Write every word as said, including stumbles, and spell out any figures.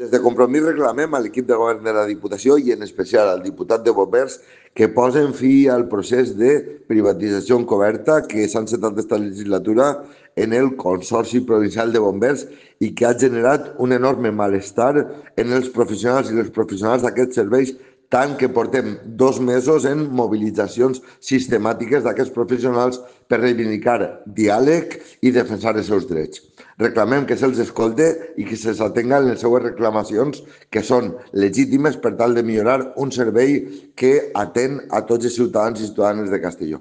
Des de Compromís reclamem a l'equip de govern de la Diputació i en especial al diputat de Bombers que posen fi al procés de privatització encoberta que s'ha encetat aquesta legislatura en el Consorci Provincial de Bombers i que ha generat un enorme malestar en els professionals i les professionals d'aquests serveis, tant que portem dos mesos en mobilitzacions sistemàtiques d'aquests professionals per reivindicar diàleg i defensar els seus drets. Reclamem que se'ls escolte i que se'ls atenga en les seues reclamacions, que són legítimes per tal de millorar un servei que atén a tots els ciutadans i ciutadanes de Castelló.